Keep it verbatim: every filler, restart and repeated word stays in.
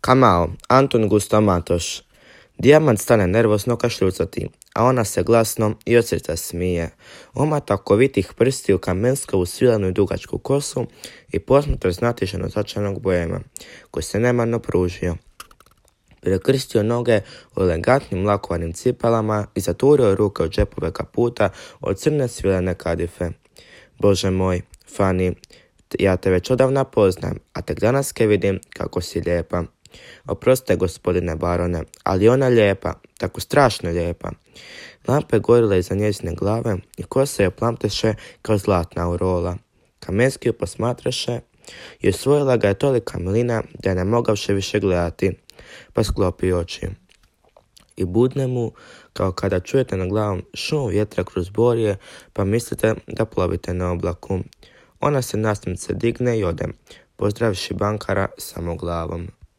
Kamao, Antun Gustav Matoš. Dijamant stane nervozno kašljucati, a ona se glasno i od srca smije. Omata okovitih prstiju Kamenskovu svilenu i dugačku kosu i posmatra znatiženo začanog bojema, koji se nemarno pružio. Prekrstio noge u elegantnim lakovanim cipelama i zaturio ruke u džepove kaputa od crne svilene kadife. Bože moj, Fani, ja te već odavna poznam, a tek danas ke vidim kako si lijepa. Oprostite, gospodine barone, ali ona lijepa, tako strašno lijepa. Lampe gorile iza njezine glave i kosa joj plamteše kao zlatna aurola. Kamenski ju posmatraše i osvojila ga je tolika milina da je ne mogavše više gledati, pa sklopi oči. I budne mu kao kada čujete na glavom šum vjetra kroz borje, pa mislite da plovite na oblaku. Ona se nasmice digne i ode, pozdravivši bankara samo glavom.